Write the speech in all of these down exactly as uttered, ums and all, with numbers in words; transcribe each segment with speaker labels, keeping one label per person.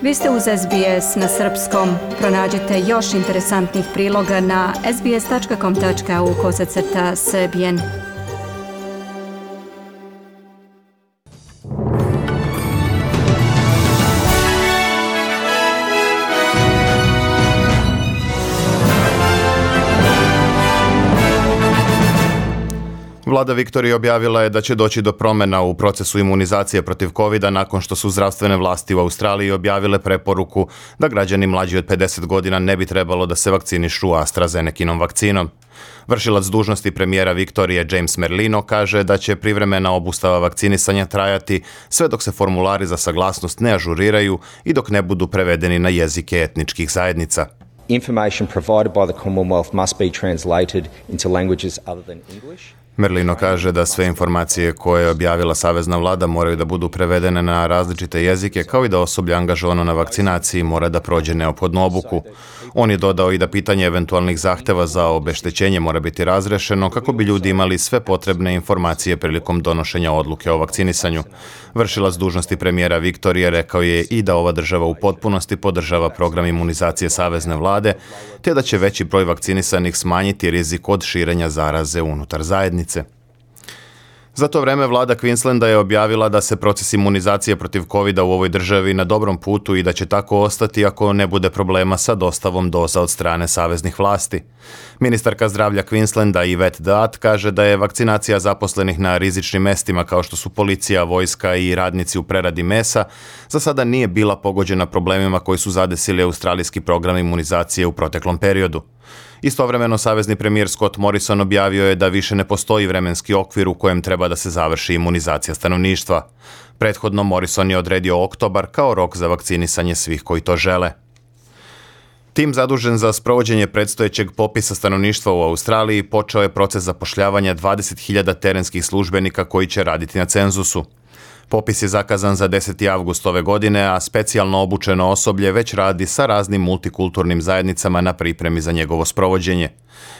Speaker 1: Vi ste uz S B S na srpskom. Pronađite još interesantnih priloga na sbs.com.au kosacrta srbijen.
Speaker 2: Vlada Viktorije objavila je da će doći do promjena u procesu imunizacije protiv kovida nakon što su zdravstvene vlasti u Australiji objavile preporuku da građani mlađi od pedeset godina ne bi trebalo da se vakcinišu AstraZenekinom vakcinom. Vršilac dužnosti premijera Viktorije James Merlino kaže da će privremena obustava vakcinisanja trajati sve dok se formulari za saglasnost ne ažuriraju i dok ne budu prevedeni na jezike etničkih zajednica.
Speaker 3: Information provided by the Commonwealth must be translated into languages other than English.
Speaker 2: Merlino kaže da sve informacije koje je objavila savezna vlada moraju da budu prevedene na različite jezike, kao i da osoblje angažovano na vakcinaciji mora da prođe neophodnu obuku. On je dodao i da pitanje eventualnih zahteva za obeštećenje mora biti razrešeno kako bi ljudi imali sve potrebne informacije prilikom donošenja odluke o vakcinisanju. Vršilac dužnosti premijera Viktorije rekao je i da ova država u potpunosti podržava program imunizacije savezne vlade, te da će veći broj vakcinisanih smanjiti rizik od širenja zaraze unutar zajednice. Za to vreme vlada Queenslanda je objavila da se proces imunizacije protiv kovida u ovoj državi na dobrom putu i da će tako ostati ako ne bude problema sa dostavom doza od strane saveznih vlasti. Ministarka zdravlja Queenslanda Yvette Daat kaže da je vakcinacija zaposlenih na rizičnim mestima kao što su policija, vojska i radnici u preradi mesa za sada nije bila pogođena problemima koji su zadesili australijski program imunizacije u proteklom periodu. Istovremeno, savezni premijer Scott Morrison objavio je da više ne postoji vremenski okvir u kojem treba da se završi imunizacija stanovništva. Prethodno, Morrison je odredio oktobar kao rok za vakcinisanje svih koji to žele. Tim zadužen za sprovođenje predstojećeg popisa stanovništva u Australiji počeo je proces zapošljavanja dvadeset hiljada terenskih službenika koji će raditi na cenzusu. Popis je zakazan za deseti avgust ove godine, a specijalno obučeno osoblje već radi sa raznim multikulturnim zajednicama na pripremi za njegovo sprovođenje.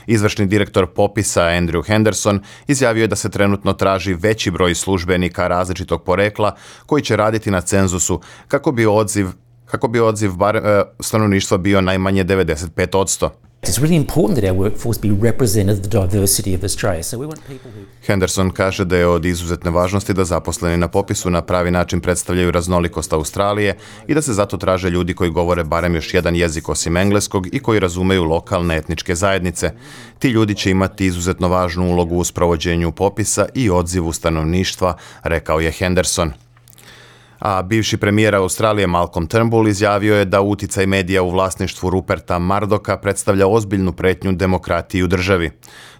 Speaker 2: Izvršni direktor popisa Andrew Henderson izjavio je da se trenutno traži veći broj službenika različitog porekla koji će raditi na cenzusu kako bi odziv, kako bi odziv bar, e, stanovništva bio najmanje devedeset pet posto.
Speaker 4: It's really important that our workforce be represented the diversity of Australia. So we want people who...
Speaker 2: Henderson kaže da je od izuzetne važnosti da zaposleni na popisu na pravi način predstavljaju raznolikost Australije i da se zato traže ljudi koji govore barem još jedan jezik osim engleskog i koji razumeju lokalne etničke zajednice. Ti ljudi će imati izuzetno važnu ulogu u sprovođenju popisa i odzivu stanovništva, rekao je Henderson. A bivši premijer Australije Malcolm Turnbull izjavio je da uticaj medija u vlasništvu Ruperta Murdocha predstavlja ozbiljnu pretnju demokratiji u državi.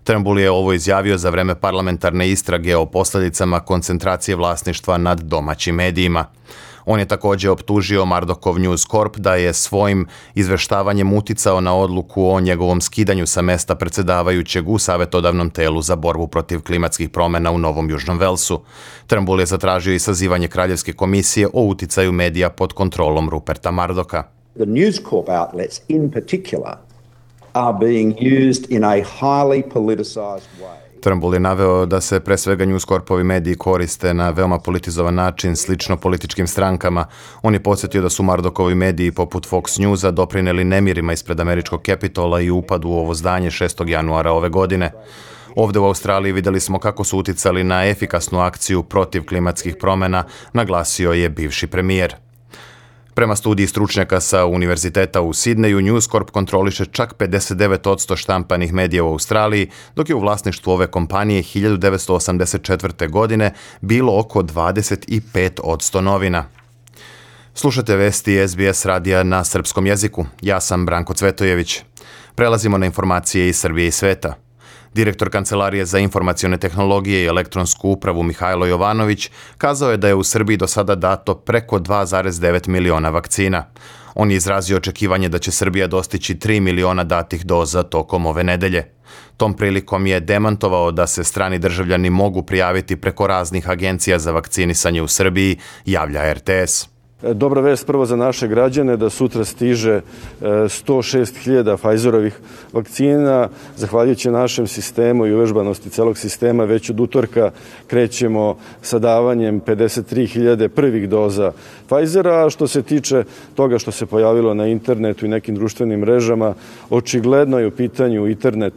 Speaker 2: Turnbull je ovo izjavio za vreme parlamentarne istrage o posljedicama koncentracije vlasništva nad domaćim medijima. On je također optužio Murdochov News Corp da je svojim izveštavanjem uticao na odluku o njegovom skidanju sa mesta predsjedavajućeg u savjetodavnom telu za borbu protiv klimatskih promjena u Novom Južnom Velsu. Turnbull je zatražio i sazivanje Kraljevske komisije o uticaju medija pod kontrolom Ruperta Murdocha.
Speaker 5: The News Corp outlets in particular are being used in a highly politicized way.
Speaker 2: Turnbull je naveo da se pre svega News Corpovi mediji koriste na veoma politizovan način, slično političkim strankama. On je podsjetio da su Murdochovi mediji poput Fox Newsa doprineli nemirima ispred američkog Capitola i upadu u ovo zdanje šestog januara ove godine. Ovdje u Australiji vidjeli smo kako su uticali na efikasnu akciju protiv klimatskih promjena, naglasio je bivši premijer. Prema studiji stručnjaka sa Univerziteta u Sidneju, News Corp kontroliše čak pedeset devet posto štampanih medija u Australiji, dok je u vlasništvu ove kompanije hiljadu devetsto osamdeset četvrte. godine bilo oko dvadeset pet posto novina. Slušate vesti S B S radija na srpskom jeziku. Ja sam Branko Cvetojević. Prelazimo na informacije iz Srbije i sveta. Direktor Kancelarije za informacione tehnologije i elektronsku upravu Mihajlo Jovanović kazao je da je u Srbiji do sada dato preko dva zarez devet miliona vakcina. On je izrazio očekivanje da će Srbija dostići tri miliona datih doza tokom ove nedelje. Tom prilikom je demantovao da se strani državljani mogu prijaviti preko raznih agencija za vakcinisanje u Srbiji, javlja R T S.
Speaker 6: Dobra vest prvo za naše građane da sutra stiže sto šest hiljada Pfizerovih vakcina. Zahvaljujući našem sistemu i uvežbanosti celog sistema već od utorka krećemo sa davanjem pedeset tri hiljade prvih doza Pfizera. A što se tiče toga što se pojavilo na internetu i nekim društvenim mrežama, očigledno je u pitanju internet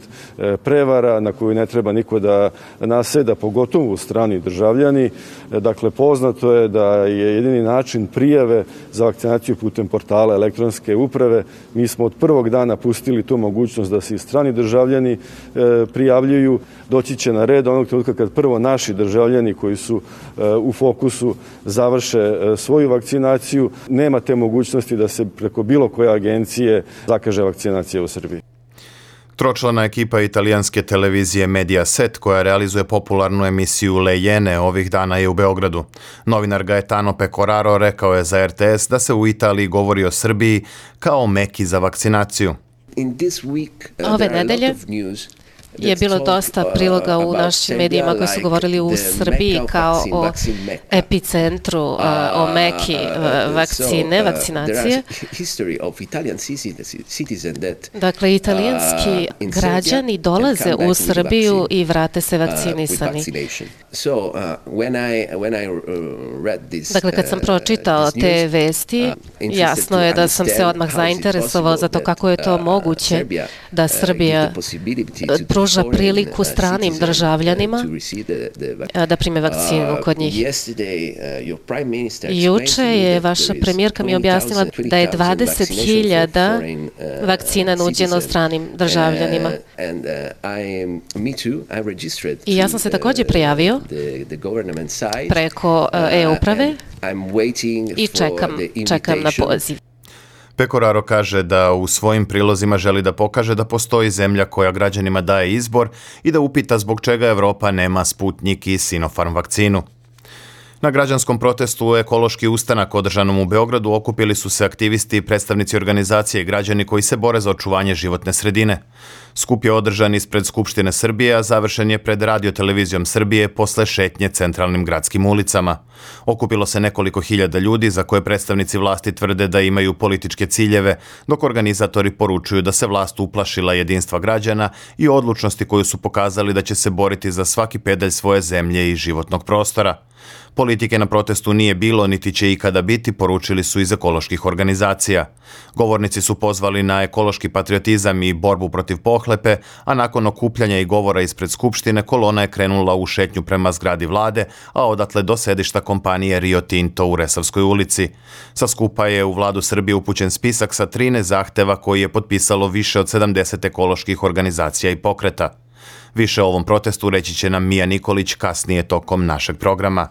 Speaker 6: prevara na koju ne treba niko da naseda, pogotovo strani državljani. Dakle, poznato je da je jedini način prijave za vakcinaciju putem portala elektronske uprave. Mi smo od prvog dana pustili tu mogućnost da se i strani državljani prijavljuju. Doći će na red onog trenutka kad prvo naši državljani koji su u fokusu završe svoju vakcinaciju. Nema te mogućnosti da se preko bilo koje agencije zakaže vakcinacija u Srbiji.
Speaker 2: Tročlana ekipa italijanske televizije Mediaset, koja realizuje popularnu emisiju Le Iene, ovih dana je u Beogradu. Novinar Gaetano Pecoraro rekao je za er te es da se u Italiji govori o Srbiji kao Meki za vakcinaciju.
Speaker 7: Ove nedelje je bilo dosta priloga u našim medijima koji su govorili u Srbiji kao o epicentru, o Meki vakcine, vakcinacije. Dakle, italijanski građani dolaze u Srbiju i vrate se vakcinisani. Dakle, kad sam pročitao te vesti, jasno je da sam se odmah zainteresovao za to kako je to moguće da Srbija pruža priliku stranim državljanima da prime vakcinu kod njih. Juče je vaša premijerka mi objasnila da je dvadeset hiljada vakcina nuđeno stranim državljanima. I ja sam se također prijavio preko e-uprave i čekam, čekam na poziv.
Speaker 2: Pecoraro kaže da u svojim prilozima želi da pokaže da postoji zemlja koja građanima daje izbor i da upita zbog čega Evropa nema Sputnik i Sinopharm vakcinu. Na građanskom protestu Ekološki ustanak održanom u Beogradu okupili su se aktivisti i predstavnici organizacije i građani koji se bore za očuvanje životne sredine. Skup je održan ispred Skupštine Srbije, a završen je pred Radio-televizijom Srbije posle šetnje centralnim gradskim ulicama. Okupilo se nekoliko hiljada ljudi za koje predstavnici vlasti tvrde da imaju političke ciljeve, dok organizatori poručuju da se vlast uplašila jedinstva građana i odlučnosti koju su pokazali da će se boriti za svaki pedalj svoje zemlje i životnog prostora. Politike na protestu nije bilo, niti će ikada biti, poručili su iz ekoloških organizacija. Govornici su pozvali na ekološki patriotizam i borbu protiv pohlepe, a nakon okupljanja i govora ispred Skupštine, kolona je krenula u šetnju prema zgradi vlade, a odatle do sedišta kompanije Rio Tinto u Resavskoj ulici. Sa skupa je u vladu Srbije upućen spisak sa trinaest zahteva koji je potpisalo više od sedamdeset ekoloških organizacija i pokreta. Više o ovom protestu reći će nam Mija Nikolić kasnije tokom našeg programa.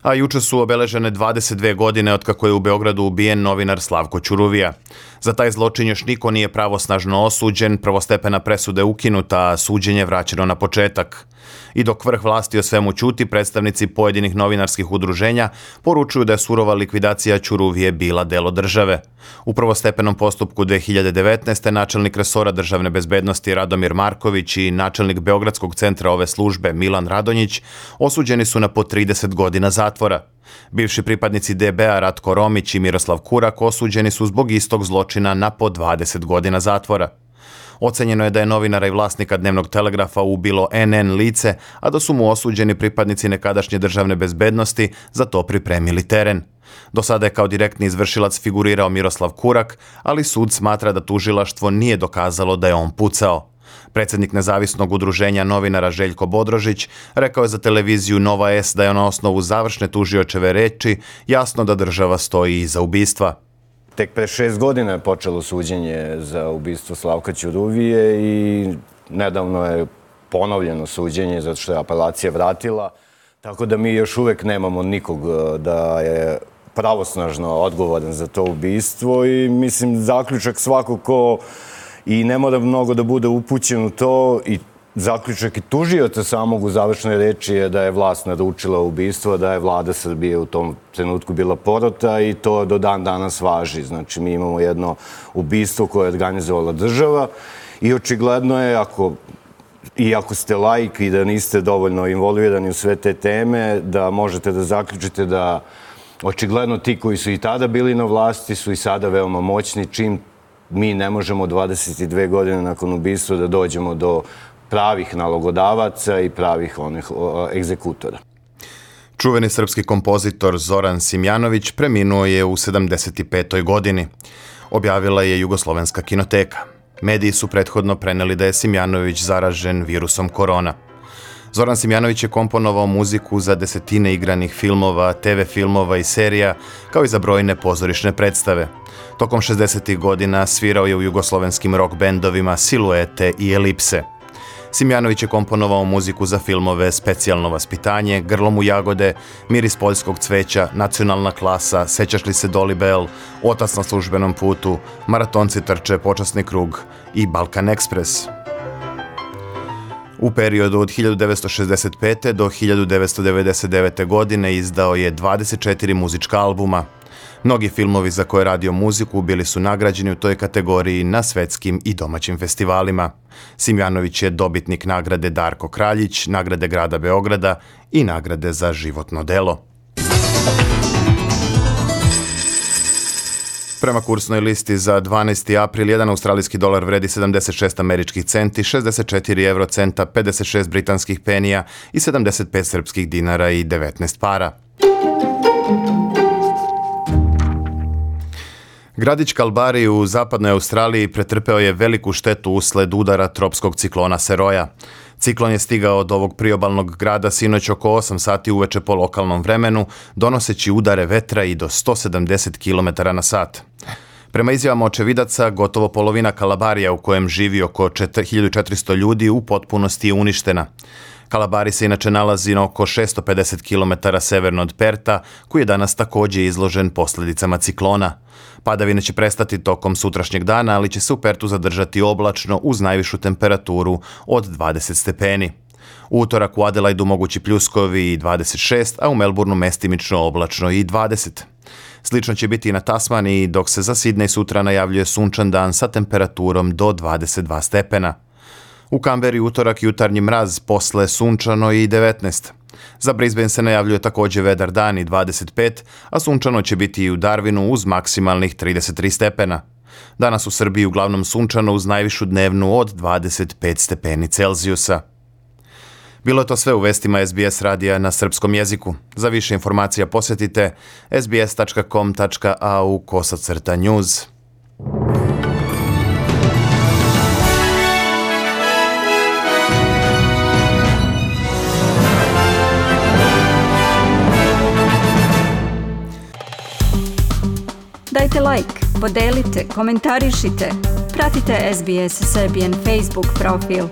Speaker 2: A juče su obeležene dvadeset dve godine otkako je u Beogradu ubijen novinar Slavko Ćuruvija. Za taj zločin još niko nije pravosnažno osuđen, prvostepena presuda je ukinuta, a suđenje vraćeno na početak. I dok vrh vlasti o svemu ćuti, predstavnici pojedinih novinarskih udruženja poručuju da je surova likvidacija Ćuruvije bila delo države. U prvostepenom postupku dve hiljade devetnaeste. načelnik resora državne bezbednosti Radomir Marković i načelnik Beogradskog centra ove službe Milan Radonjić osuđeni su na po trideset godina zatvora. Bivši pripadnici de be a Ratko Romić i Miroslav Kurak osuđeni su zbog istog zločina na po dvadeset godina zatvora. Ocenjeno je da je novinara i vlasnika Dnevnog telegrafa ubilo en en lice, a da su mu osuđeni pripadnici nekadašnje državne bezbednosti za to pripremili teren. Do sada je kao direktni izvršilac figurirao Miroslav Kurak, ali sud smatra da tužilaštvo nije dokazalo da je on pucao. Predsjednik nezavisnog udruženja novinara Željko Bodrožić rekao je za televiziju Nova S da je na osnovu završne tužiočeve reči jasno da država stoji iza ubistva.
Speaker 8: Tek pre šest godina je počelo suđenje za ubistvo Slavka Ćuruvije i nedavno je ponovljeno suđenje zato što je apelacija vratila, tako da mi još uvek nemamo nikog da je pravosnažno odgovoran za to ubistvo i mislim zaključak svako ko i ne mora mnogo da bude upućen u to i zaključak i tužioca samog u završnoj reči je da je vlast naručila ubistvo, da je vlada Srbije u tom trenutku bila porota i to do dan danas važi. Znači, mi imamo jedno ubistvo koje je organizovala država i očigledno je, ako, i ako ste laik i da niste dovoljno involvirani u sve te teme, da možete da zaključite da očigledno ti koji su i tada bili na vlasti su i sada veoma moćni, čim mi ne možemo dvadeset dve godine nakon ubistva da dođemo do pravih nalogodavaca i pravih onih egzekutora.
Speaker 2: Čuveni srpski kompozitor Zoran Simjanović preminuo je u sedamdeset petoj godini. Objavila je Jugoslovenska kinoteka. Mediji su prethodno preneli da je Simjanović zaražen virusom korona. Zoran Simjanović je komponovao muziku za desetine igranih filmova, te ve filmova i serija, kao i za brojne pozorišne predstave. Tokom šezdesetih godina svirao je u jugoslovenskim rock bendovima Siluete i Elipse. Simjanović je komponovao muziku za filmove Specijalno vaspitanje, Grlom u jagode, Miris poljskog cveća, Nacionalna klasa, Sećaš li se Dolly Bell, Otac na službenom putu, Maratonci trče, Počasni krug i Balkan Ekspres. U periodu od hiljadu devetsto šezdeset pete do hiljadu devetsto devedeset devete. godine izdao je dvadeset četiri muzička albuma. Mnogi filmovi za koje je radio muziku bili su nagrađeni u toj kategoriji na svetskim i domaćim festivalima. Simjanović je dobitnik nagrade Darko Kraljić, nagrade grada Beograda i nagrade za životno delo. Prema kursnoj listi za dvanaesti april, jedan australijski dolar vredi sedamdeset šest američkih centi, šezdeset četiri evrocenta, pedeset šest britanskih penija i sedamdeset pet srpskih dinara i devetnaest para. Gradić Kalbari u zapadnoj Australiji pretrpeo je veliku štetu usled udara tropskog ciklona Seroja. Ciklon je stigao od ovog priobalnog grada sinoć oko osam sati uveče po lokalnom vremenu, donoseći udare vetra i do sto sedamdeset kilometara na sat. Prema izjavama očevidaca, gotovo polovina Kalabarija u kojem živi oko hiljadu četiristo ljudi u potpunosti je uništena. Kalabari se inače nalazi na oko šesto pedeset kilometara severno od Perta, koji je danas također izložen posljedicama ciklona. Padavine će prestati tokom sutrašnjeg dana, ali će se u Pertu zadržati oblačno uz najvišu temperaturu od dvadeset stepeni. U utorak u Adelaidu mogući pljuskovi i dvadeset šest, a u Melbourneu mestimično oblačno i dvadeset. Slično će biti i na Tasmaniji, dok se za Sidney sutra najavljuje sunčan dan sa temperaturom do dvadeset dva stepena. U Kamberi utorak jutarnji mraz, posle sunčano i devetnaest. Za Brisbane se najavljuje također vedar dan i dvadeset pet, a sunčano će biti i u Darwinu uz maksimalnih trideset tri stepena. Danas u Srbiji uglavnom sunčano uz najvišu dnevnu od dvadeset pet stepeni Celzijusa. Bilo je to sve u vestima es be es radija na srpskom jeziku. Za više informacija posjetite es be es tačka com tačka a u kosacrta news.
Speaker 1: Dajte like, podelite, komentarišite. Pratite es be es Serbian Facebook profil.